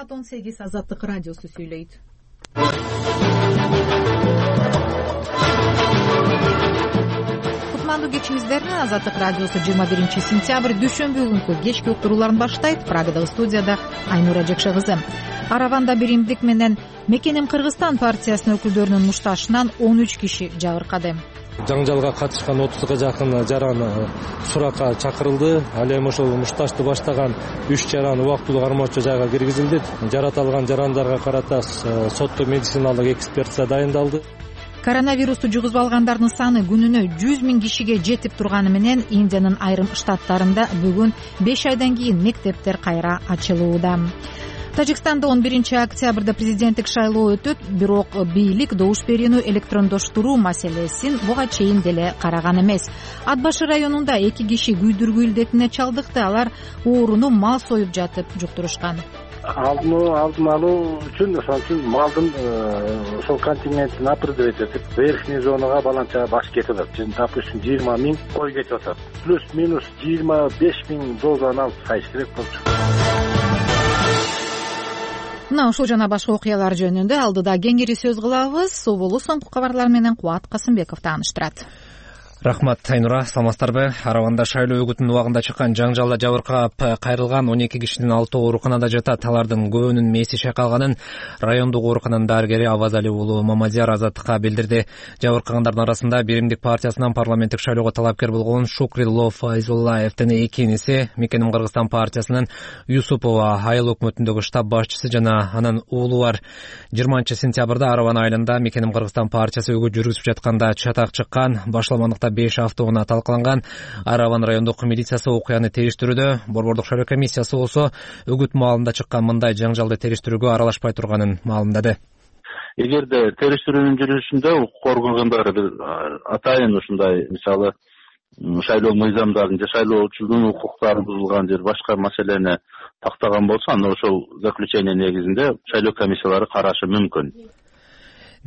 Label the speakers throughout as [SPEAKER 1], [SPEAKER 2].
[SPEAKER 1] Саат 18 Азаттык радиосу сүйлөйт. Кутмандуу кечиңиздер. Азаттык радиосу 21 сентябрь дүйшөмбү күнкү кечки уктурууларын баштайт. Прагадагы студияда Айнура Жакшы кызы. Араванда биримдик менен Мекеним Кыргызстан партиясынын өкүлдөрүнүн мушташынан 13 киши жабыркады.
[SPEAKER 2] Жаңжалга катышкан 30га жакын жаран суракка чакырылды. Ал эми ошол мушташты баштаган 3 жаран убактылуу кармоочу жайга киргизилди. Жаратылган жарандарга карата соттук медициналык экспертиза дайындалды.
[SPEAKER 1] Коронавирусту жугузуп алгандардын саны күнүнө 100 000 кишиге жетип турганы менен Индиянын айрым штаттарында бүгүн 5 айдан кийин мектептер кайра ачылууда. Тажикстанда 11 октябрда президенттик шайлоо өтөт, бирок бийлик добуш берүүнү электрондоштуруу маселесин буга чейин деле караган эмес. Ат башы районунда 2 киши күйдүргү илдетине чалдыкты. Алар ооруну мал союп жатып жуктурушкан.
[SPEAKER 3] Алдын алуу үчүн малдын ошол контингентин определить этип, верхний зонага баланча баш кетип атат. Допустим, 20 000 кой кетип атат. Плюс-минус 25 000 дозаны алып сайыш керек болчу.
[SPEAKER 1] Мына ушул жана башка окуялар жөнүндө алдыда кеңири сөз кылабыз. Соболу соңку кабарлар менен Кубат Касымбеков тааныштырат.
[SPEAKER 4] Рахмат, Айнура, саламатсыздарбы? Араванда шайлоо үгүтүнүн убагында чыккан жаңжалда жабыркап кайрылган 12 кишинин 6 ооруканада жатат. Алардын көбүнүн мээси шайкалганын райондук оорукананын дарыгери Авазали уулу Мамадияр Азаттыкка билдирди. Жабыркагандардын арасында Биримдик партиясынан парламенттик шайлоого талапкер болгон Шукрилло Файзуллаевдин эки иниси, Мекеним Кыргызстан партиясынын Юсупова айыл өкмөтүндөгү штаб башчысы жана анын уулу бар. 20 сентябрда Араван айылында Мекеним Кыргызстан партиясы үгүт жүргүзүп жатканда чатак чыккан. Башламандыкта 5 автоунаа талкаланган. Араван райондук милициясы окуяны териштирүүдө. Борбордук шайлоо комиссиясы болсо үгүт маалында чыккан мындай жаңжалды териштирүүгө аралашпай турганын маалымдады.
[SPEAKER 3] Эгерде териштирүүнүн жүрүшүндө укук органдары атайын ушундай, мисалы, шайлоо мыйзамдарын же шайлоочунун укуктарын бузулган же башка маселени тактаган болсо, анда ошол заключение негизинде шайлоо комиссиялары карашы мүмкүн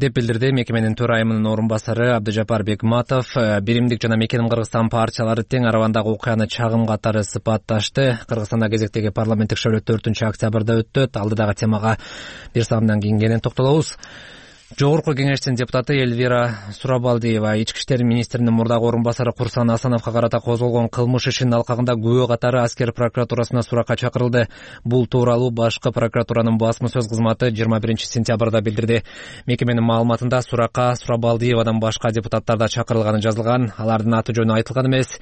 [SPEAKER 4] деп билдирди мекеменин төрайымынын орун басары Абдыжапар Бекматов. Биримдик жана Мекеним Кыргызстан партиялары тең Аравандагы окуяны чагым катары сыпатташты. Кыргызстанда кезектеги парламенттик шайлоо 4 октябрда өтөт. Алдыдагы темага бир саамдан кийин кенен токтолобуз. Жогорку кеңештин депутаты Эльвира Сурабалдиева ички иштер министринин мурдагы орун басары Курсан Асановго карата козголгон кылмыш ишинин алкагында күбө катары аскер прокуратурасына суракка чакырылды. Бул тууралуу башкы прокуратуранын басма сөз кызматы 21 сентябрда билдирди. Мекеменин маалыматында суракка Сурабалдиевадан башка депутаттар да чакырылганы жазылган. Алардын аты жөнү айтылган эмес.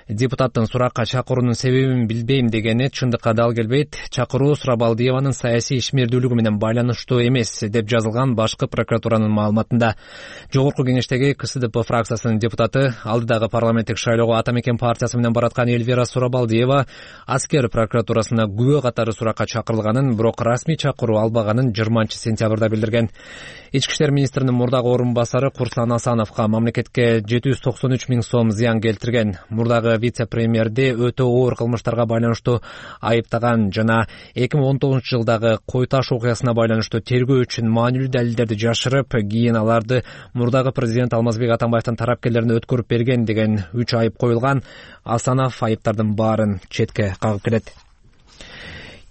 [SPEAKER 4] Депутаттын суракка чакыруунун себебин билбейм дегени чындыкка дал келбейт. Чакыруу Сурабалдиеванын саясий ишмердүүлүгү менен байланыштуу эмес деп жазылган башкы прокуратуранын маалыматында. Жогорку кеңештеги КСДП фракциясынын депутаты алдыдагы парламенттик шайлоого Ата Мекен партиясы менен бараткан Эльвира Сурабалдиева аскер прокуратурасына күбө катары суракка чакырылганын, бирок расмий чакыруу албаганын 20 сентябрда билдирген. Ички иштер министринин мурдагы орун басары Курсан Асановго мамлекетке 793 000 сом зыян келтирген. Мурдагы вице-премьерди өтө оор кылмыштарга байланыштуу айыптаган жана 2019 жылдагы Кой Таш окуясына байланыштуу тергөө үчүн маанилүү далилдерди жашырып, кийин аларды мурдагы президент Алмазбек Атамбаевдин тарапкерлерине өткөрүп берген деген 3 айып коюлган. Асанов айыптардын баарын четке кагып келет.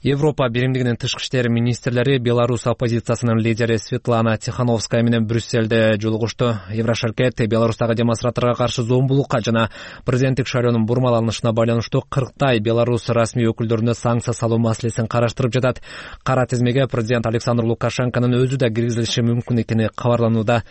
[SPEAKER 4] Европа биримдигинин тышкы иштер министрлери Беларусь оппозициясынын лидери Светлана Тихановская менен Брюсселде жолугушту. Еврошаркет Беларустагы демонстранттарга каршы зомбулукка жана президенттик шайлоонун бурмаланышына байланыштуу 40 Беларусь расмий өкүлдөрүнө санкция салуу маселесин караштырып жатат. Кара тизмеге президент Александр Лукашенконун өзү да киргизилиши мүмкүн экени кабарланууда.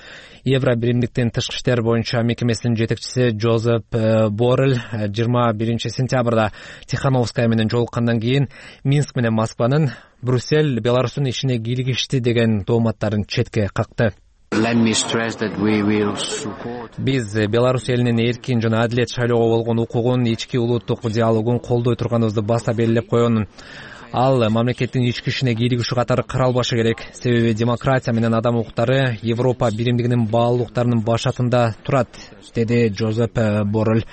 [SPEAKER 4] Евро биримдиктин тышкы иштер боюнча мекемесинин жетекчиси Джозеп Боррель 21 сентябрда Тихановская менен жолуккандан кийин Минск менен Москванын Брюссель Беларустун ишине кийлигишти деген тооматтарын четке какты. Биз Беларусь элинин эркин жана адилет шайлоого болгон укугун, ички улуттук диалогун колдой турганыбызды баса белгилеп койгонмун. Ал мамлекеттин ички ишине кийлигишүү катары каралбашы керек. Себеби демократия менен адам укуктары Европа биримдигинин баалуулуктарынын башатында турат, деди Джозеп Боррель.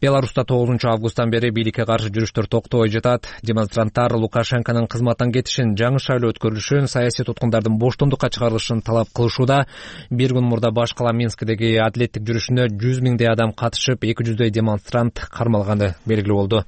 [SPEAKER 4] Беларуста 9 августтан бери бийликке каршы жүрүштөр токтобой жатат. Демонстранттар Лукашенконун кызматтан кетишин, жаңы шайлоо өткөрүлүшүн, саясий туткундардын боштондукка чыгарылышын талап кылышууда. Бир күн мурда баш кала Минскдеги адилеттик жүрүшүнө 100 000 адам катышып, 200 демонстрант кармалганы белгилүү болду.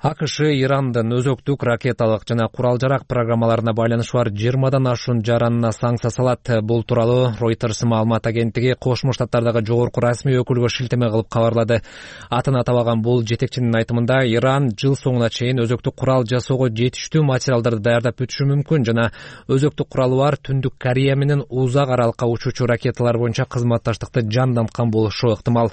[SPEAKER 4] АКШ Ирандын өзөктүк ракеталык жана курал-жарак программаларына байланышы бар 20дан ашуун жаранына санкция салат. Бул тууралуу Reuters маалымат агенттиги Кошмо Штаттардагы жогорку расмий өкүлгө шилтеме кылып кабарлады. Атын атабаган бул жетекчинин айтымында Иран жыл соңуна чейин өзөктүк курал жасоого жетиштүү материалдарды даярдап бүтүшү мүмкүн жана өзөктүк куралы бар Түндүк Корея менен узак аралыкка учуучу ракеталар боюнча кызматташтыкты жанданткан болушу ыктымал.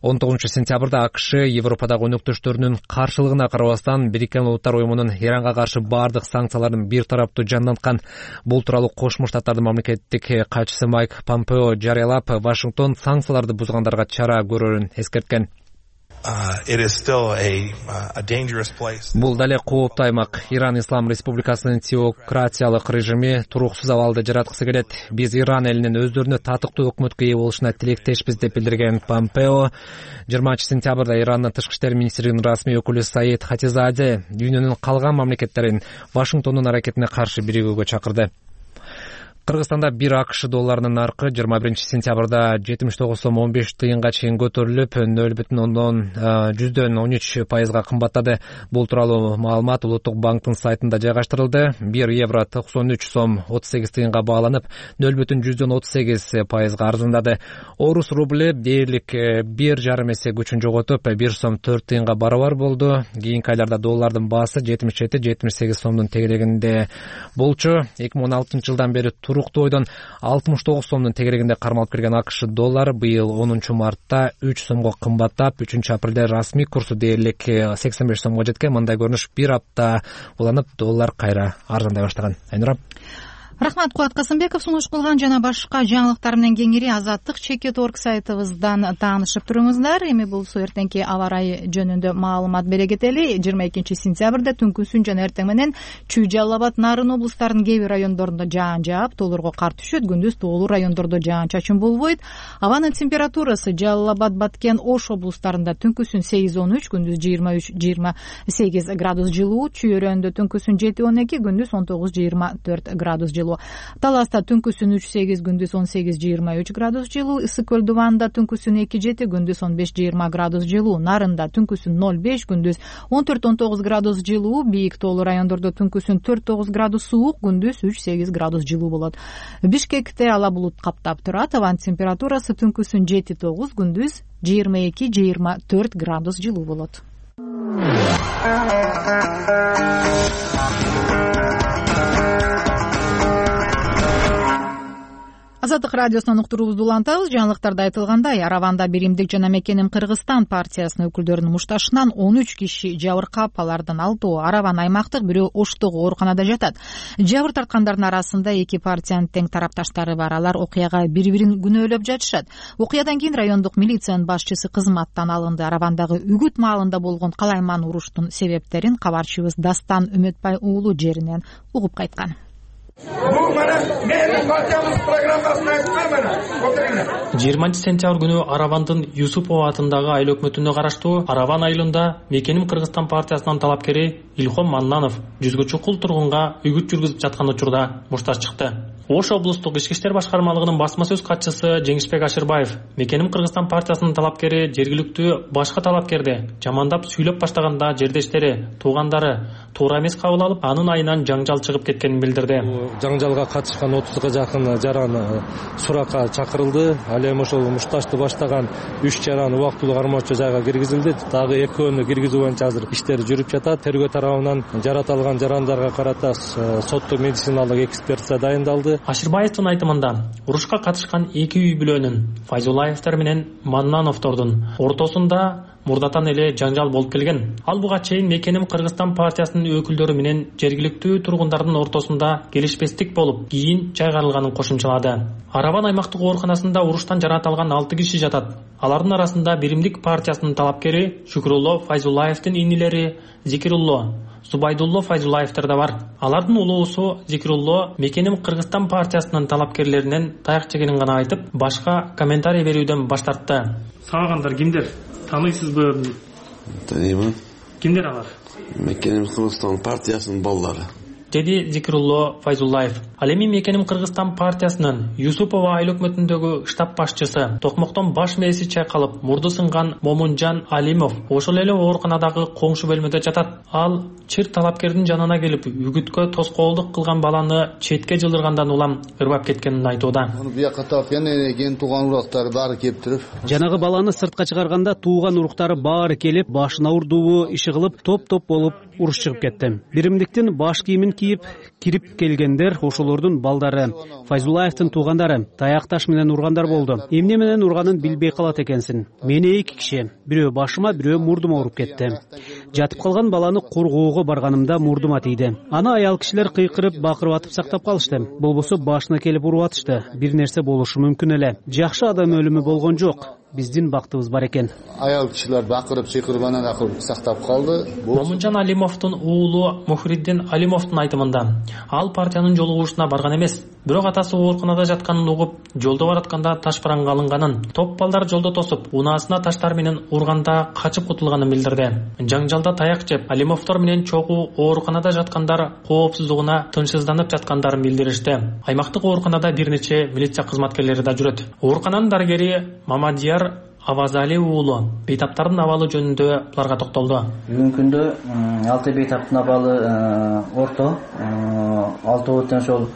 [SPEAKER 4] 19-сентябрда АКШ Европадагы өнөктөштөрүнүн каршылыгына карабастан Бириккен Улуттар уюмунун Иранга каршы бардык санкцияларын бир тараптуу жанданткан. Бул тууралуу Кошмо Штаттардын мамлекеттик катчысы Майк Помпео жарыялап, Вашингтон санкцияларды бузгандарга чара көрөрүн эскерткен. Бул дале кооптуу аймак. Иран Ислам Республикасынын теократиялык режими туруксуз абалды жараткысы келет. Биз Иран элинин өздөрүнө татыктуу өкмөткө ээ болушуна тилектешпиз деп билдирген Помпео 20-сентябрда Ирандын тышкы иштер министринин расмий өкүлү Саид Хатизаде дүйнөнүн калган мамлекеттерин Вашингтондун аракетине каршы биригүүгө чакырды. Кыргызстанда бир АКШ долларынын наркы 21-сентябрда 79 сом 15 тыйынга чейин көтөрүлүп, 0,13% кымбаттады. Бул тууралуу маалымат Улуттук банктын сайтында жайгаштырылды. 1 евро 93 сом 38 тыйынга бааланып, 0,38% арзандады. Орус рубль дээрлик 1,5 эсе күчүн жоготуп, 1 сом 4 тыйынга барабар болду. Кийинки айларда доллардын баасы 77-78 сомдун тегерегинде болчу. 2016-жылдан бери туруктуу ойдон 69 сомдун тегерегинде кармалып келген АКШ доллары быйыл 10 мартта 3 сомго кымбаттап, 3 апрелде расмий курсу дээрлик 85 сомго жеткен. Мындай көрүнүш бир апта уланып, доллар кайра арзандай баштаган. Айнура.
[SPEAKER 1] Рахмат, Кубат Касымбеков. Сунуш кылган жана башка жаңылыктар менен кеңири azаттык.org сайтыбыздан таанышып туруңуздар. Эми болсо эртеңки аба ырайы жөнүндө маалымат бере кетели. 22-сентябрда түнкүсүн жана эртең менен Чүй, Жалал Абад, Нарын облустарынын кээ бир райондорунда жаан жаап, тоолорго кар түшөт. Күндүз тоолуу райондордо жаан-чачын болбойт. Абанын температурасы Жалал Абад, Баткен, Ош облустарында түнкүсүн 8-13, күндүз 23-28 градус жылуу. Чүй өрөөндө түнкүсүн 7-12, күндүз 19-24 градус жылуу. Таласта түнкүсүн 3-8, күндүз 18-23 градус жылуу. Ысык көл Дубанда түнкүсүн 2-7, күндүз 15-20 градус жылуу. Нарында түнкүсүн 0-5, күндүз 14-19 градус жылуу. Бийик тоолуу райондордо түнкүсүн 4-9 градус суук, күндүз 3-8 градус жылуу болот. Бишкекте ала булут каптап турат. Абанын температурасы түнкүсүн 7-9, күндүз 22-24 градус жылуу болот. Азаттык радиосунан уктуруубузду улантабыз. Жаңылыктарда айтылгандай, Араванда Биримдик жана Мекеним Кыргызстан партиясынын өкүлдөрүнүн мушташынан 13 киши жабыркап, алардын 6-ы Араван аймактык, бирөө Оштогу ооруканада жатат. Жабыр тарткандардын арасында эки партиянын тең тарапташтары бар. Алар окуяга бири-бирин күнөөлөп жатышат. Окуядан кийин райондук милициянын башчысы кызматтан алынды. Аравандагы үгүт маалында болгон калайман уруштун себептерин кабарчыбыз Дастан Үмөтбай уулу жеринен угуп кайткан.
[SPEAKER 5] Бул мана менин партиябыз программасына айткан.
[SPEAKER 6] 20-сентябрь күнү Аравандын Юсупова атындагы айыл өкмөтүнө караштуу Араван айылында Мекеним Кыргызстан партиясынын талапкери Илхом Маннанов жүзгө чукул тургунга үгүт жүргүзүп жаткан учурда мушташ чыкты. Ош облустук ички иштер башкармалыгынын басма сөз катчысы Жеңишбек Ашырбаев Мекеним Кыргызстан партиясынын талапкери жергиликтүү башка талапкерди жамандап сүйлөп баштаганда жердештери, туугандары туура эмес кабыл алып, анын айынан жаңжал чыгып кеткенин билдирди.
[SPEAKER 2] Жаңжалга катышкан 30га жакын жаран суракка чакырылды. Ал эми ошол мушташты баштаган 3 жаран убактылуу кармоочу жайга киргизилди. Дагы экөөнү киргизүү боюнча азыр иштер жүрүп жатат. Тергөө тарабынан жаратылган жарандарга карата соттук медициналык экспертиза дайындалды.
[SPEAKER 6] Ашырбаевдин айтымында, урушка катышкан эки үй бүлөнүн Файзулаевдер менен Маннановдордун ортосунда мурдатан эле жаңжал болуп келген. Ал буга чейин Мекеним Кыргызстан партиясынын өкүлдөрү менен жергиликтүү тургундардын ортосунда келишпестик болуп, кийин чайгарылганын кошумчалады. Араван аймактык ооруканасында уруштан жаратылган 6 киши жатат. Алардын арасында Биримдик партиясынын талапкери Шүкүрулло Файзулаевдин инилери Зикирулло, Зубайдулло Файзулаевдер да бар. Алардын улуусу Зикирулло Мекеним Кыргызстан партиясынын талапкерлеринен таяк жегенин гана айтып, башка комментарий берүүдөн баш тартты. Сагындар кимдер? Таныйсызбы?
[SPEAKER 7] Таныймын.
[SPEAKER 6] Кимдер алар?
[SPEAKER 7] Мекеним Кыргызстан партиясынын балдары.
[SPEAKER 6] деди Зикрулло Файзуллаев. Ал эми Мекеним Кыргызстан партиясынын Юсупова айыл өкмөтүндөгү штаб башчысы токмоктон баш мээси чайкалып мурду сынган Момунжан Алимов ошол эле ооруканадагы коңшу бөлмөдө жатат. Ал чыр талапкердин жанына келип үгүткө тоскоолдук кылган баланы четке жылдыргандан улам ырбап кеткенин айтууда.
[SPEAKER 7] Бияка тапкан экен тууган уруктары баары келип туруп.
[SPEAKER 8] Жанагы баланы сыртка чыгарганда тууган уруктары баары келип, башына урдуу иши кылып, топ-топ болуп уруш чыгып кетти. Биримдиктин баш кийимин кийип кирип келгендер ошолордун балдары. Файзуллаевдин туугандары таяк таш менен ургандар болду. Эмне менен урганын билбей калат экенсиң. Мени 2 киши, бирөө башыма, бирөө мурдума уруп кетти. Жатып калган баланы коргоого барганымда мурдума тийди. Аны аял кишилер кыйкырып, бакырып атып сактап калышты. Болбосо башына келип уруп атышты. Бир нерсе болушу мүмкүн эле. Жакшы адам өлүмү болгон жок. Биздин бактыбыз бар экен.
[SPEAKER 7] Аял кишилер бакырып, чыйкырып анан акырып сактап калды.
[SPEAKER 6] Момунжан Алимовдун уулу Мухриддин Алимовдун айтымында, ал партиянын жолугушуна барган эмес, бирок атасы ооруканада жатканын угуп, жолдо баратканда таш параңга алынганын, топ балдар жолдо тосуп, унаасына таштар менен урганда качып кутулганын билдирди. Жаңжалда таяк жеп, Алимовдор менен чогуу ооруканада жаткандар коопсуздугуна тынчсызданып жаткандарын билдиришти. Аймактык ооруканада бир нече милиция кызматкерлери да жүрөт. Оорукананын дарыгери Мамадияр Авазали уулу бейтаптардын абалы жөнүндө буларга токтолду.
[SPEAKER 9] Бүгүнкү күндө 6 бейтаптын абалы орто, 6 ошол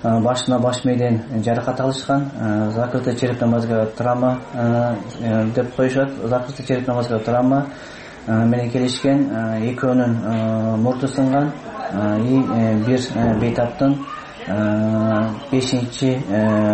[SPEAKER 9] башына баш мээден жаракат алышкан, закрытый черепная мозговая травма деп коюшат. Закрытый черепная мозговая травма менен келишкен, экөөнүн мурду сынган, бир бейтаптын 5-чи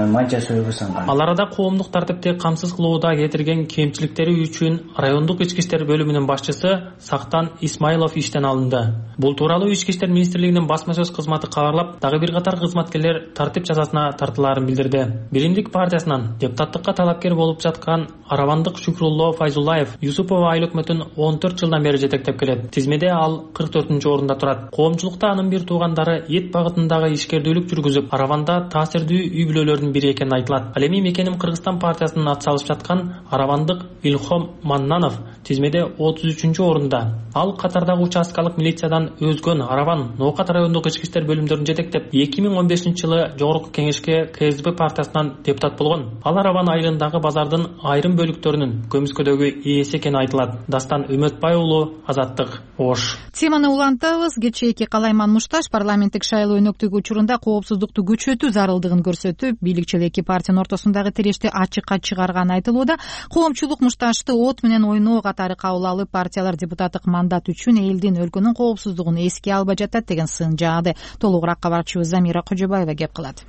[SPEAKER 9] манча сөөгү сынган.
[SPEAKER 6] Ал арада коомдук тартипти камсыз кылууда кетирген кемчиликтери үчүн райондук ички иштер бөлүмүнүн башчысы Сактан Исмаилов иштен алынды. Бул тууралуу Ички иштер министрлигинин басма сөз кызматы кабарлап, дагы бир катар кызматкерлер тартип жазасына тартылаарын билдирди. Биримдик партиясынан депутаттыкка талапкер болуп жаткан Аравандык Шүкрулло Файзуллаев Юсупова айыл өкмөтүн 14 жылдан бери жетектеп келет. Тизмеде ал 44-орунда турат. Коомчулукта анын бир туугандары эт багытындагы ишкердүүлүк жүргүзүп, Араванда таасирдүү үй бүлөлөрдүн бири экени айтылат. Ал эми Мекеним Кыргызстан партиясынын атсалышып жаткан Аравандык Илхом Маннанов тизмеде 33-орунда. Ал катардагы участкалык милициядан өзгөн Араван Ноокат райондук ички иштер бөлүмдөрүн жетектеп 2015-жылы Жогорку Кеңешке КСДП партиясынан депутат болгон. Ал Араван айылындагы базардын айрым бөлүктөрүнүн көмүскөдөгү ээси экени айтылат. Дастан Үмөтбай уулу, Азаттык, Ош.
[SPEAKER 1] Теманы улантабыз. Кечээки Калайман Мушташ парламенттик шайлоо өнөктүгү учурунда коопсуздукту күчөтүү зарылдыгын көрсөтүп, бийликчил эки партиянын ортосундагы тирешти ачыкка чыгарганы айтылууда. Коомчулук Мушташты от менен ойноо катары кабыл алып, партиялар депутаттык мандат үчүн элдин, өлкөнүн коопсуздугун эске албай жатат деген сын жаады. Толугураак кабарчыбыз Замира Кожобаева кеп кылат.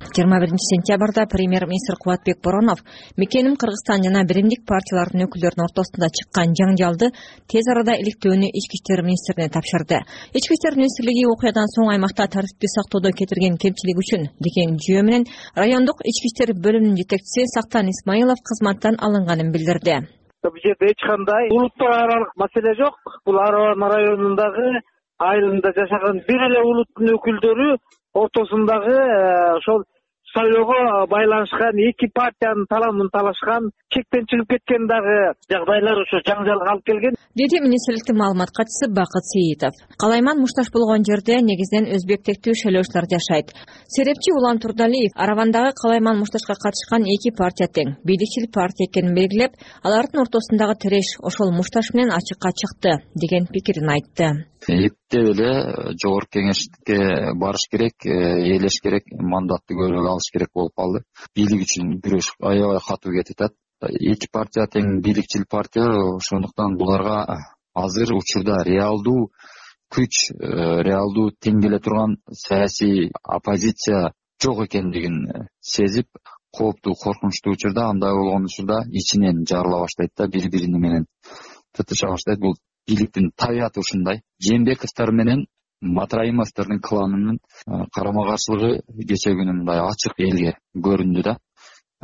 [SPEAKER 10] 21-сентябрда премьер-министр Кубатбек Боронов Мекеним Кыргызстан жана биримдик партиялардын өкүлдөрүнүн ортосунда чыккан жаңжалды тез арада иликтөөнү Ички иштер министрине тапшырды. Ички иштер министрлиги окуядан соң аймакта тартипти сактоодо кетирген кемчилик үчүн деген жүйө менен райондук ички иштер бөлүмүнүн жетекчиси Сактан Исмаилов кызматтан алынганын билдирди.
[SPEAKER 11] Бул жерде эч кандай улуттук аралык маселе жок. Бул Араван районундагы айылында жашаган бир эле улуттун өкүлдөрү ортосундагы ошол шайлоого байланышкан эки партиянын таламын талашкан, чектен чыгып кеткен дагы жагдайлар ошо жаңжалга алып келген,
[SPEAKER 10] деди министрликтин маалымат катчысы Бакыт Сейитов. Калайман Мушташ болгон жерде негизинен өзбек тектүү шайлоочулар жашайт. Серепчи Улан Турдалиев Аравандагы Калайман Мушташка катышкан эки партия тең, бийликчил партия экенин белгилеп, алардын ортосундагы тиреш ошол Мушташ менен ачыкка чыкты деген пикирин айтты.
[SPEAKER 12] Эптеп эле Жогорку Кеңешке барыш керек, ээлеш керек, мандатты көбүрөөк алыш керек болуп калды. Бийлик үчүн күрөш аябай катуу кетип атат. Эки партия тең бийликчил партия, ошондуктан буларга азыр учурда реалдуу күч, реалдуу тең келе турган саясий оппозиция жок экендигин сезип, кооптуу, коркунучтуу учурда, андай болгон учурда ичинен жарыла баштайт да, бири-бири менен тытыша баштайт. Бул бийликтин табияты ушундай. Жээнбековдор менен Матраимовдордун кланынын карама каршылыгы кечээ күнү мындай ачык элге көрүндү да.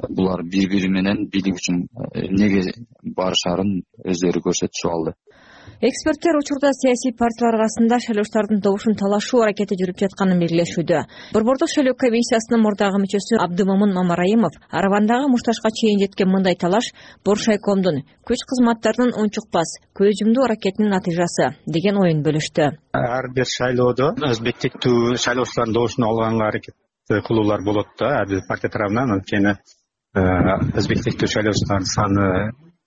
[SPEAKER 12] Булар бири-бири менен бийлик үчүн эмнеге барышарын өздөрү көрсөтүшүп алды.
[SPEAKER 10] Эксперттер учурда саясий партиялар арасында шайлоочулардын добушун талашуу аракети жүрүп жатканын белгилешүүдө. Борбордук шайлоо комиссиясынын мурдагы мүчөсү Абдымомун Мамараимов Аравандагы мушташка чейин жеткен мындай талаш Боршайкомдун күч кызматтарынын унчукпас, көз жумдуу аракетинин натыйжасы деген оюн бөлүштү.
[SPEAKER 13] Ар бир шайлоодо өзбектиктүү шайлоочулардын добушун алганга аракет кылуулар болот да, ар бир партия тарабынан. Анткени өзбектиктүү шайлоочулардын саны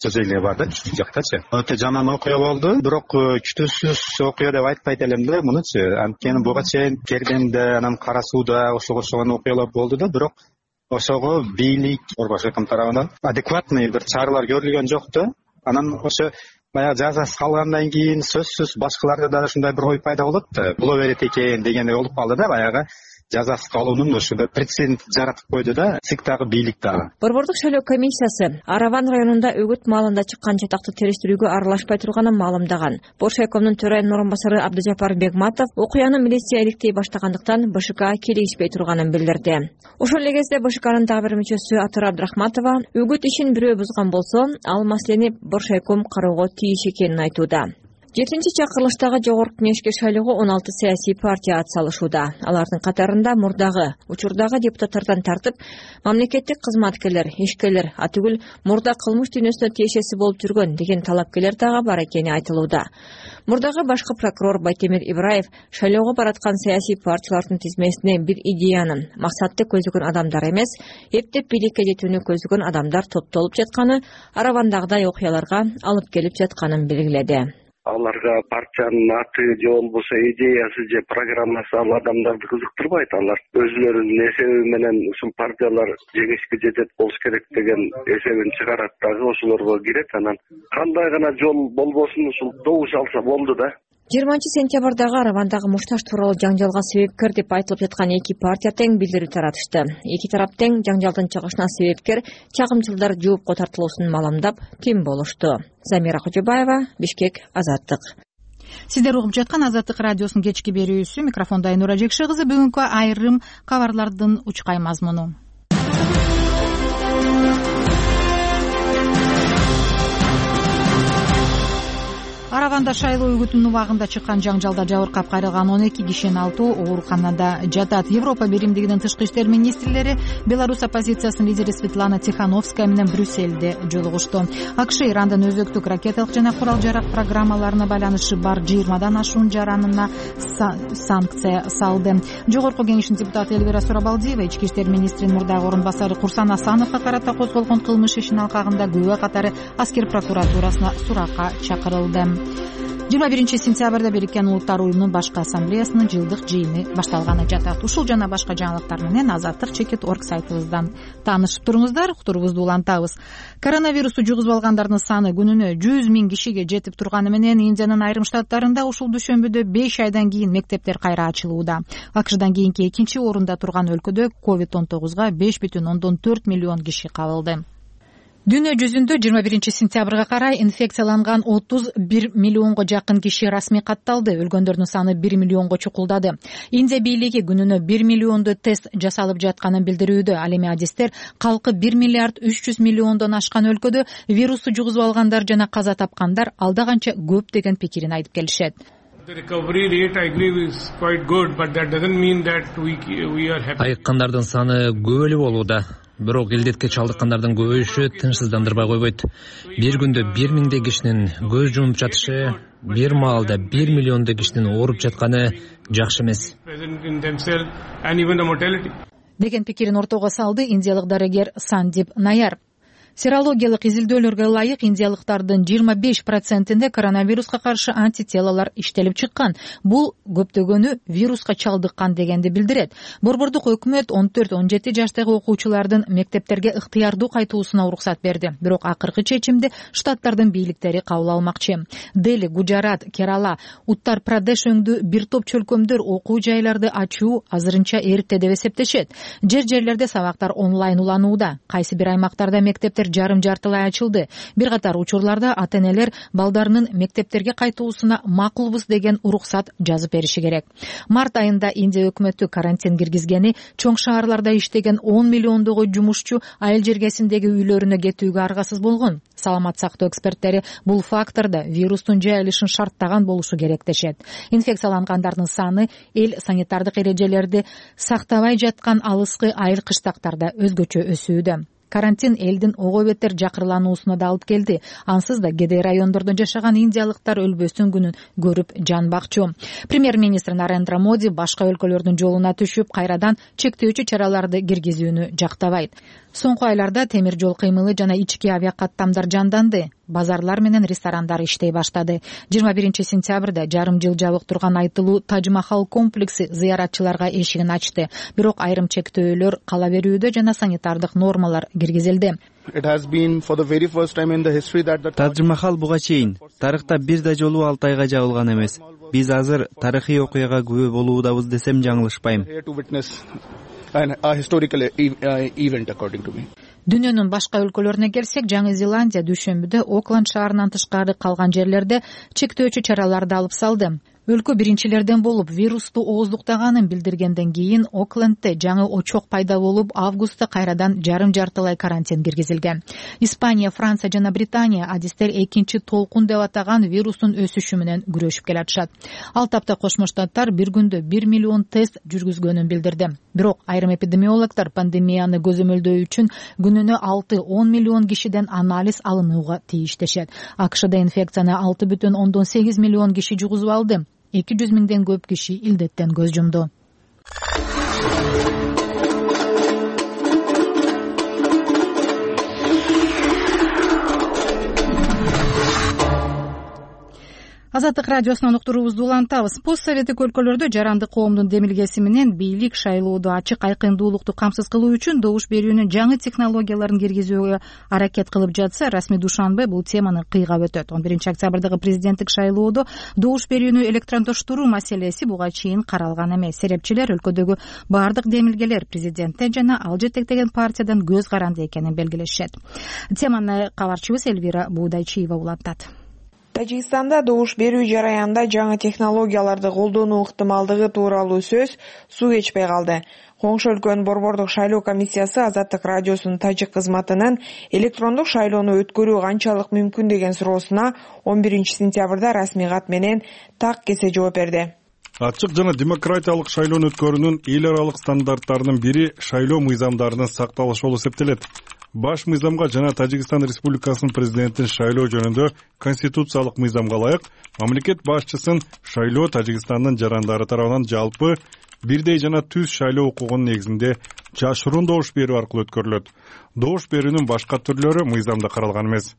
[SPEAKER 13] сөз эле бар да, чү жактачы. Өтө жаман окуя болду, бирок күтүүсүз окуя деп айтпайт элем да мунучу. Анткени буга чейин Кердемде, анан Кара Сууда ошого окшогон окуялар болду да, бирок ошого бийлик Борборшайком тарабынан адекватный бир чаралар көрүлгөн жок да. Анан ошо баягы жаза салгандан кийин сөзсүз башкаларда да ушундай бир ой пайда болот да, боло берет экен дегендей болуп калды да, баягы жазасыз калуунун ушундай прецедент жаратып койду да ЦИК дагы, бийлик дагы.
[SPEAKER 10] Борбордук шайлоо комиссиясы Араван районунда өгүт маалында чыккан жатакты териштирүүгө аралашпай турганын маалымдаган. Боршайкомдун төрайымынын орун басары Абдыжапар Бегматов окуяны милиция иликтей баштагандыктан БШК келишпей турганын билдирди. Ошол эле кезде БШКнын дагы бир мүчөсү Атыр Абдрахматова өгүт ишин бирөө бузган болсо, ал маселени Боршайком кароого тийиш экенин айтууда. 7-чи чакырылыштагы жогорку кеңешке шайлоого 16 саясий партия атсалышууда. Алардын катарында мурдагы, учурдагы депутаттардан тартып, мамлекеттик кызматкерлер, ишкерлер, атүгүл мурда кылмыш дүйнөсүнө тиешеси болуп жүргөн деген талапкерлер дагы бар экени айтылууда. Мурдагы башкы прокурор Байтемир Ибраев шайлоого бараткан саясий партиялардын тизмесине бир идеянын, максатты көздөгөн адамдар эмес, эптеп бийликке жетүүнү көздөгөн адамдар топтолуп жатканы, Аравандагыдай окуяларга алып келип жатканын белгиледи.
[SPEAKER 14] Аларга партиянын аты же болбосо идеясы же программасы ал адамдарды кызыктырбайт. Алар өзүлөрүнүн эсеби менен ушул партиялар жеңишке жетет болуш керек деген эсебин чыгарат дагы, ошолорго кирет. Анан кандай гана жол болбосун ушул добуш алса болду да.
[SPEAKER 10] 20-сентябрдагы Аравандагы мушташ тууралуу жаңжалга себепкер деп айтылып жаткан эки партия тең билдирүү таратышты. Эки тарап тең жаңжалдын чыгышына себепкер чагымчылдар жоопко тартылуусун маалымдап, тим болушту. Замира Кожобаева, Бишкек, Азаттык.
[SPEAKER 1] Сиздер угуп жаткан Азаттык радиосунун кечки берүүсү. Микрофондо Айнура Жекши кызы. Бүгүнкү айрым кабарлардын учкай мазмуну. Араванда шайлоо үгүтүнүн убагында чыккан жаңжалда жабыркап кайрылган 12 кишинин 6 ооруканада жатат. Европа биримдигинин тышкы иштер министрлери Беларусь оппозициясынын лидери Светлана Тихановская менен Брюссельде жолугушту. АКШ Ирандан өзөктүк ракеталык жана курал-жарак программаларына байланышы бар 20дан ашуун жаранына санкция салды. Жогорку кеңештин депутаты Эльвира Сурабалдиева ички иштер министринин мурдагы орун басары Курсан Асановго карата козголгон кылмыш ишинин алкагында күбө катары аскер прокуратурасына суракка чакырылды. 21-сентябрда Бириккен Улуттар уюмунун башкы ассамблеясынын жылдык жыйыны башталганы жатат. Ушул жана башка жаңылыктар менен azattik.org сайтыбыздан таанышып туруңуздар. Уктурубузду улантабыз. Коронавирусту жугузуп алгандардын саны күнүнө 100 000 кишиге жетип турганы менен Индиянын айрым штаттарында ушул дүйшөмбүдө 5 айдан кийин мектептер кайра ачылууда. АКШдан кийинки экинчи орунда турган өлкөдө COVID-19 5,4 миллион киши кабылды. Дүйнө жүзүндө 21-сентябрга карай инфекцияланган 31 миллионго жакын киши расмий катталды. Өлгөндөрдүн саны 1 миллионго чукулдады. Индия бийлиги күнүнө 1 миллионду тест жасалып жатканын билдирүүдө. Ал эми адистер калкы 1 миллиард 300 миллиондон ашкан өлкөдө вирусту жугузуп алгандар жана каза тапкандар алда канча көп деген пикирин айтып келишет.
[SPEAKER 4] Айыккандардын саны көп эле болууда. Бирок илдетке чалдыккандардын көбөйүшү тынчсыздандырбай койбойт. Бир күндө 1000 кишинин көз жумуп жатышы, бир маалда 1 миллиондой кишинин ооруп жатканы жакшы эмес
[SPEAKER 1] деген пикирин ортого салды индиялык дарыгер Сандип Наяр. Серологиялык изилдөөлөргө ылайык индиялыктардын 25%-инде коронавируска каршы антителалар иштелип чыккан. Бул көптөгөнү вируска чалдыккан дегенди билдирет. Борбордук өкмөт 14-17 жаштагы окуучулардын мектептерге ыктыярдуу кайтуусуна уруксат берди. Бирок акыркы чечимди штаттардын бийликтери кабыл алмакчы. Дели, Гуджарат, Керала, Уттар Прадеш өңдүү бир топ чөлкөмдөр окуу жайларды ачуу азырынча эрте деп эсептешет. Жерлерде сабактар онлайн уланууда. Кайсы бир аймактарда мектептер мектептер жарым-жартылай ачылды. Бир катар учурларда ата-энелер балдарынын мектептерге кайтуусуна макулбуз деген уруксат жазып бериши керек. Март айында Индия өкмөтү карантин киргизгени чоң шаарларда иштеген 10 миллиондогу жумушчу айыл жергесиндеги үйлөрүнө кетүүгө аргасыз болгон. Саламат сактоо эксперттери бул факторда вирустун жайылышын шарттаган болушу керек дешет. Инфекциялангандардын саны эл санитардык эрежелерди сактабай жаткан алыскы айыл кыштактарда өзгөчө өсүүдө. Карантин элдин ого бетер жакырлануусуна да алып келди. Ансыз да кедей райондордо жашаган индиялыктар өлбөстүн күнүн көрүп жанбакчу. Премьер-министр Нарендра Моди башка өлкөлөрдүн жолуна түшүп, кайрадан чектөөчү чараларды киргизүүнү жактабайт. Соңку айларда темир жол кыймылы жана ички авиакаттамдар жанданды. Базарлар менен ресторандар иштей баштады. 21-сентябрда жарым жыл жабык турган айтылуу Тадж-Махал комплекси зыяратчыларга эшигин ачты. Бирок айрым чектөөлөр кала берүүдө жана санитардык нормалар киргизилди.
[SPEAKER 15] Тадж-Махал буга чейин тарыхта бир да жолу 6 айга жабылган эмес. Биз азыр тарыхый окуяга күбө болуудабыз десем жаңылышпайм.
[SPEAKER 1] Дүйнөнүн башка өлкөлөрүнө келсек, Жаңы Зеландия дүйшөмбүдө Окленд шаарынан тышкары калган жерлерде чектөөчү чараларды алып салды. Өлкө биринчилерден болуп вирусту ооздуктаганын билдиргенден кийин Оклендде жаңы очок пайда болуп, августта кайрадан жарым-жартылай карантин киргизилген. Испания, Франция жана Британия адистер экинчи толкун деп атаган вирустун өсүшү менен күрөшүп келатышат. Ал тапта Кошмо Штаттар бир күндө 1 миллион тест жүргүзгөнүн билдирди. Бирок айрым эпидемиологдор пандемияны көзөмөлдөө үчүн күнүнө 6-10 миллион кишиден анализ алынууга тийиштешет. АКШда инфекцияны 6,8 миллион киши жугузуп алды. 200 миңден көп киши илдеттен көз жумду. Азаттык радиосунан уктуруубузду улантабыз. Пост советтик өлкөлөрдө жарандык коомдун демилгеси менен бийлик шайлоодо ачык айкындуулукту камсыз кылуу үчүн добуш берүүнүн жаңы технологияларын киргизүүгө аракет кылып жатса, расмий Душанбе бул теманы кыйгап өтөт. 11 октябрдагы президенттик шайлоодо добуш берүүнү электрондоштуруу маселеси буга чейин каралган эмес. Серепчилер өлкөдөгү бардык демилгелер президенттен жана ал жетектеген партиядан көз каранды экенин белгилешет. Теманы кабарчыбыз Элвира Буудайчиева улантат.
[SPEAKER 16] Тажикстанда добуш берүү жараянында жаңы технологияларды колдонуу ыктымалдыгы тууралуу сөз суу кечпей калды. Коңшу өлкөнүн борбордук шайлоо комиссиясы Азаттык радиосунун тажик кызматынын электрондук шайлоону өткөрүү канчалык мүмкүн деген суроосуна 11 сентябрда расмий кат менен так кесе жооп берди.
[SPEAKER 17] Ачык жана демократиялык шайлоону өткөрүүнүн эл аралык стандарттарынын бири шайлоо мыйзамдарынын сакталышы болуп эсептелет. Баш мыйзамга жана Тажикстан Республикасынын президентин шайлоо жөнүндө конституциялык мыйзамга ылайык мамлекет башчысын шайлоо Тажикстандын жарандары тарабынан жалпы бирдей жана түз шайлоо укугунун негизинде жашыруун добуш берүү аркылуу өткөрүлөт. Добуш берүүнүн башка түрлөрү мыйзамда каралган эмес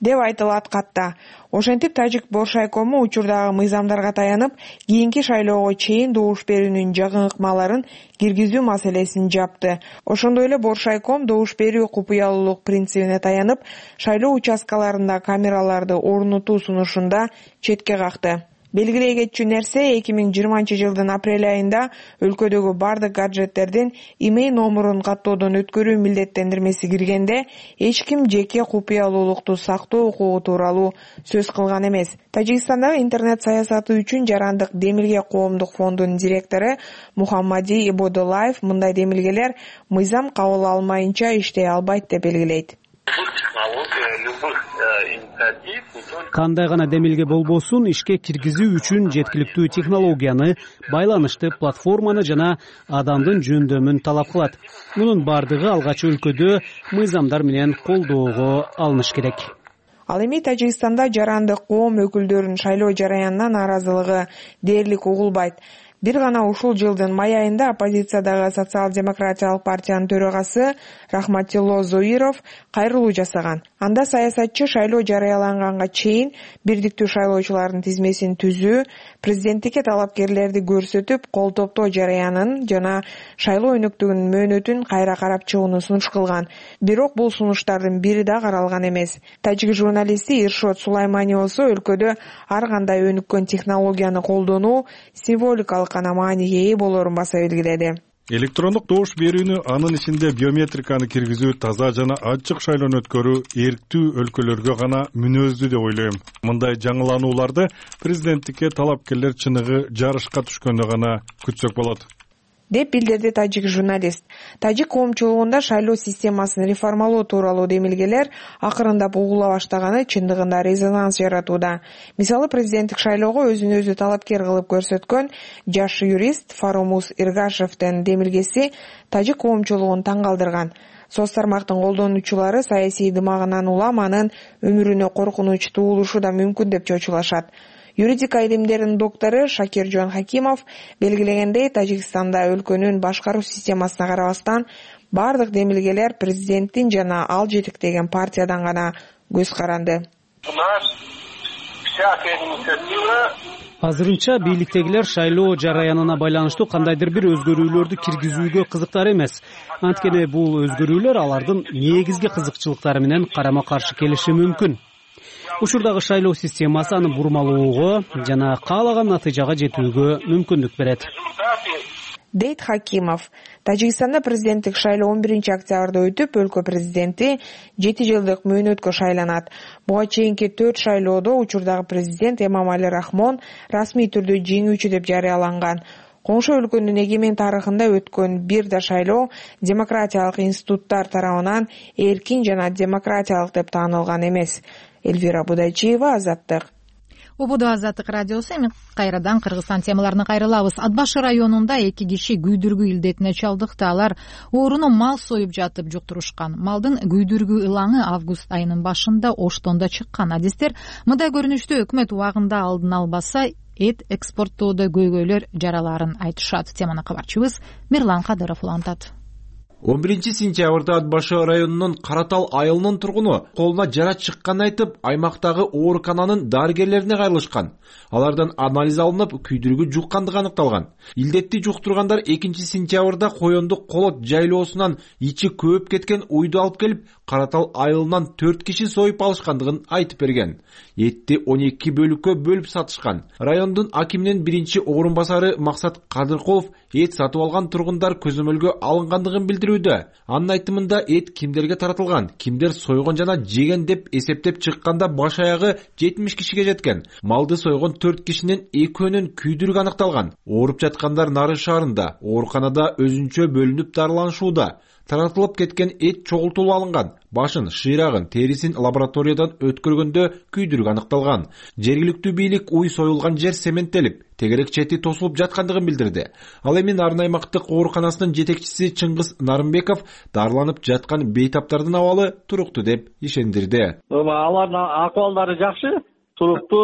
[SPEAKER 16] деп айтылат катта. Ошентип Тажик Боршайкому учурдагы мыйзамдарга таянып, кийинки шайлоого чейин добуш берүүнүн жакын ыкмаларын киргизүү маселесин жапты. Ошондой эле Боршайком добуш берүү купуялуулук принцибине таянып, шайлоо участкаларында камераларды орнотуу сунушунда четке какты. Белгилей кетчү нерсе 2020 жылдын апрель айында өлкөдөгү бардык гаджеттердин имей номурун каттоодон өткөрүү милдеттендирмеси киргенде эч ким жеке купуялуулукту сактоо укугу тууралуу сөз кылган эмес. Тажикстандагы интернет саясаты үчүн жарандык демилге коомдук фондунун директору Мухаммади Ибодулаев мындай демилгелер мыйзам кабыл алмайынча иштей албайт деп белгилейт.
[SPEAKER 8] Кандай гана демилге болбосун, ишке киргизүү үчүн жеткиликтүү технологияны, байланышты платформаны жана адамдын жөндөмүн талап кылат. Мунун бардыгы алгач өлкөдө мыйзамдар менен колдоого алыныш керек.
[SPEAKER 16] Ал эми Тажикстанда жарандык коом өкүлдөрүнүн шайлоо жараянына нааразылыгы дээрлик угулбайт. Бир гана ушул жылдын май айында оппозициядагы социал-демократиялык партиянын төрагасы Рахматилло Зоиров кайрылуу жасаган. Анда саясатчы шайлоо жарыяланганга чейин бирдиктүү шайлоочулардын тизмесин түзүү, президенттикке талапкерлерди көрсөтүп, кол топтоо жараянын жана шайлоо өнөктүгүнүн мөөнөтүн кайра карап чыгууну сунуш кылган. Бирок бул сунуштардын бири да каралган эмес. Тажик журналисти Иршот Сулаймани болсо өлкөдө ар кандай өнүккөн технологияны колдонуу символикалык гана мааниге ээ болорун баса белгиледи.
[SPEAKER 17] Электрондук добуш берүүнү, анын ичинде биометриканы киргизүү, таза жана ачык шайлоону өткөрүү эрктүү өлкөлөргө гана мүнөздүү деп ойлойм. Мындай жаңыланууларды президенттикке талапкерлер чыныгы жарышка түшкөндө гана күтсөк болот,
[SPEAKER 16] деп билдирди тажик журналист. Тажик коомчулугунда шайлоо системасын реформалоо тууралуу демилгелер акырындап угула баштаганы чындыгында резонанс жаратууда. Мисалы, президенттик шайлоого өзүн өзү талапкер кылып көрсөткөн жаш юрист Фаромус Иргашевдин демилгеси тажик коомчулугун таң калтырган. Соц тармактын колдонуучулары саясий дымагынан улам анын өмүрүнө коркунуч туулушу да мүмкүн деп чочулашат. Юридика илимдеринин доктору Шакиржон Хакимов белгилегендей, Тажикстанда өлкөнүн башкаруу системасына карабастан бардык демилгелер президенттин жана ал жетектеген партиядан гана көз каранды.
[SPEAKER 8] Азырынча бийликтегилер шайлоо жараянына байланыштуу кандайдыр бир өзгөрүүлөрдү киргизүүгө кызыктар эмес. Анткени бул өзгөрүүлөр алардын негизги кызыкчылыктары менен карама каршы келиши мүмкүн. Учурдагы шайлоо системасы аны бурмалоого жана каалаган натыйжага жетүүгө мүмкүндүк берет,
[SPEAKER 16] дейт Хакимов. Тажикстанда президенттик шайлоо 11-октябрда өтүп, өлкө президенти 7 жылдык мөөнөткө шайланат. Буга чейинки 4 шайлоодо учурдагы президент Эмомали Рахмон расмий түрдө жеңүүчү деп жарыяланган. Коңшу өлкөнүн эгемен тарыхында өткөн бир да шайлоо демократиялык институттар тарабынан эркин жана демократиялык деп таанылган эмес. Эльвира Будайчиева, Азаттык.
[SPEAKER 1] Убуду Азаттык радиосу. Эми кайрадан Кыргызстан темаларына кайрылабыз. Атбаш районунда 2 киши күйдүргү илдетине чалдыкты. Алар ооруну мал союп жатып жуктурушкан. Малдын күйдүргү ылаңы август айынын башында Оштондо чыккан. Адистер мындай көрүнүштө өкмөт убагында алдын албаса эт экспорттоодо көйгөйлөр жараларын айтышат. Теманы кабарчыбыз Мирлан Кадыров улантат.
[SPEAKER 18] 11-сентябрда Атбаш районунун Каратал айылынын тургуну колуна жара чыкканын айтып, аймактагы оорукананын дарыгерлерине кайрылышкан. Алардан анализ алынып, күйдүргү жуккандыгы аныкталган. Илдетти жуктургандар 2-сентябрда Коёндук Колот жайлоосунан ичи көөп кеткен уйду алып келип, Каратал айылынан 4 киши союп алышкандыгын айтып берген. Этти 12 бөлүккө бөлүп сатышкан. Райондун акиминин биринчи орун басары Максат Кадыркулов эт сатып алган тургундар көзөмөлгө алынгандыгын билдирүүдө. Анын айтымында эт кимдерге таратылган, кимдер сойгон жана жеген деп эсептеп чыкканда баш аягы 70 кишиге жеткен. Малды сойгон 4 кишинин экөөнүн күйдүрүгү аныкталган. Ооруп жаткандар Нары шаарында, ооруканада өзүнчө бөлүнүп дарыланышууда. Таратылып кеткен эт чогултулуп алынган. Башын, шыйрагын, терисин лабораториядан өткөргөндө күйдүрүк аныкталган. Жергиликтүү бийлик уй союлган жер цементтелип, тегерек чети тосулуп жаткандыгын билдирди. Ал эми Нарын аймактык ооруканасынын жетекчиси Чыңгыз Нарымбеков дарыланып жаткан бейтаптардын абалы туруктуу деп ишендирди.
[SPEAKER 19] Алардын акыбалдары жакшы. Туруктуу,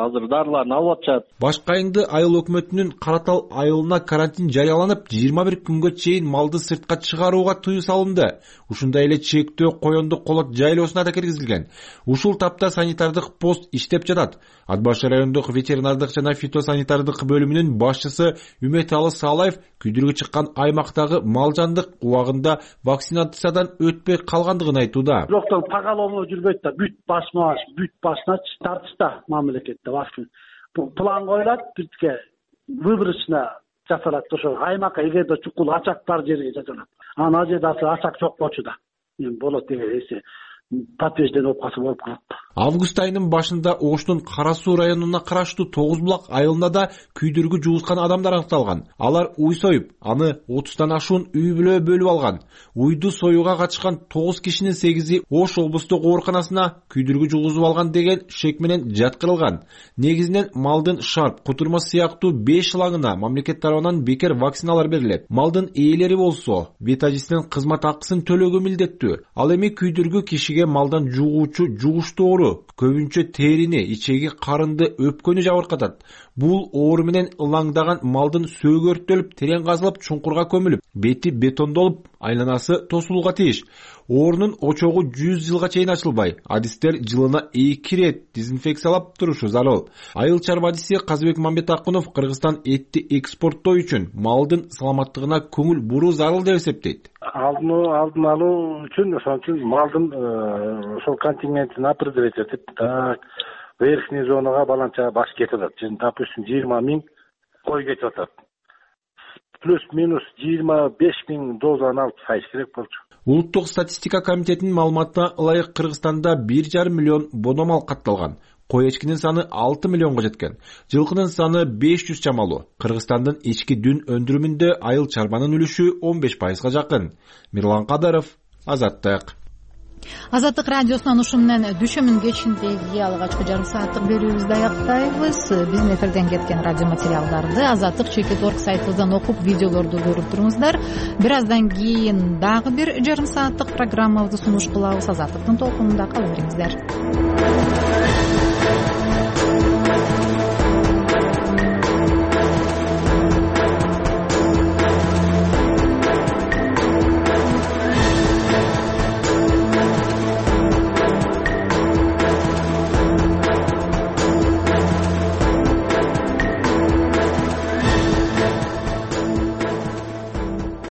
[SPEAKER 19] азыр дарыларын алып атышат.
[SPEAKER 18] Башкы айыңды айыл өкмөтүнүн Каратал айылына карантин жарыяланып, 21 күнгө чейин малды сыртка чыгарууга тыюу салынды. Ушундай эле чектөө Коёндук Колот жайлоосуна да киргизилген. Ушул тапта санитардык пост иштеп жатат. Атбаш райондук ветеринардык жана фитосанитардык бөлүмүнүн башчысы Үмөталы Салаев күйдүргү чыккан аймактагы мал жандык убагында вакцинациядан өтпөй калгандыгын айтууда.
[SPEAKER 19] Доктор тагалоо жүрбөйт да, бүт башына тартышта мамлекетте вакцина. План коюлат, бирке выборочно жасалат. Ошо аймакка эгерде чукул ачак бар жерге жасалат. Анан жерде ачак жок болчу да. Болот деген эсе подтверждение болуп калса болуп калат.
[SPEAKER 18] Август айынын башында Оштун Кара Суу районуна караштуу 9 булак айылында да күйдүргү жуускан адамдар аныкталган. Алар уй союп, аны 30тан ашуун үй бүлө бөлүп алган. Уйду союуга катышкан 9 кишинин 8и Ош облустук ооруканасына күйдүргү жугузуп алган деген шек менен жаткырылган. Негизинен малдын шарп, кутурма сыяктуу 5 ылаңына мамлекет тарабынан бекер вакциналар берилет. Малдын ээлери болсо, ветажисинин кызмат акысын төлөөгө милдеттүү. Ал эми күйдүргү кишиге малдан жугуучу жугуштуу оору, көбүнчө терини, ичеги, карынды, өпкөнү жабыркатат. Бул оору менен ылаңдаган малдын сөөгү өрттөлүп, терең казылып, чуңкурга көмүлүп, бети бетондолуп, айланасы тосулууга тийиш. Оорунун очогу 100 жылга чейин ачылбай, адистер жылына 2 рет дезинфекциялап турушу зарыл. Айыл чарба адиси Казыбек Мамбетакунов Кыргызстан этти экспорттоо үчүн малдын саламаттыгына көңүл буруу зарыл деп эсептейт.
[SPEAKER 19] Алдын алуу үчүн ошон үчүн малдын ошол контингентин определить этип, так верхний зонага баланча баш кетип атат. Допустим 20 000 кой кетип атат.
[SPEAKER 20] плюс-минус 25 000 дозаны алып сайыш керек болчу.
[SPEAKER 18] Улуттук статистика комитетинин маалыматына ылайык Кыргызстанда 1,5 миллион бономал катталган. Кой эчкинин саны 6 миллионго жеткен. Жылкынын саны 500 чамалуу. Кыргызстандын ички дүн өндүрүмүндө айыл чарбанын үлүшү 15%га жакын. Мирлан Кадаров, Азаттык.
[SPEAKER 1] Азаттык радиосунан ушу менен дүшөмүн кечиндеги алгачкы жарым сааттык берүүбүздү аяктайбыз. Биздин эфирден кеткен радио материалдарды azattik.org сайтыбыздан окуп, видеолорду көрүп туруңуздар. Бир аздан кийин дагы бир жарым сааттык программабызды сунуш кылабыз. Азаттыктын толкунунда кала бериңиздер.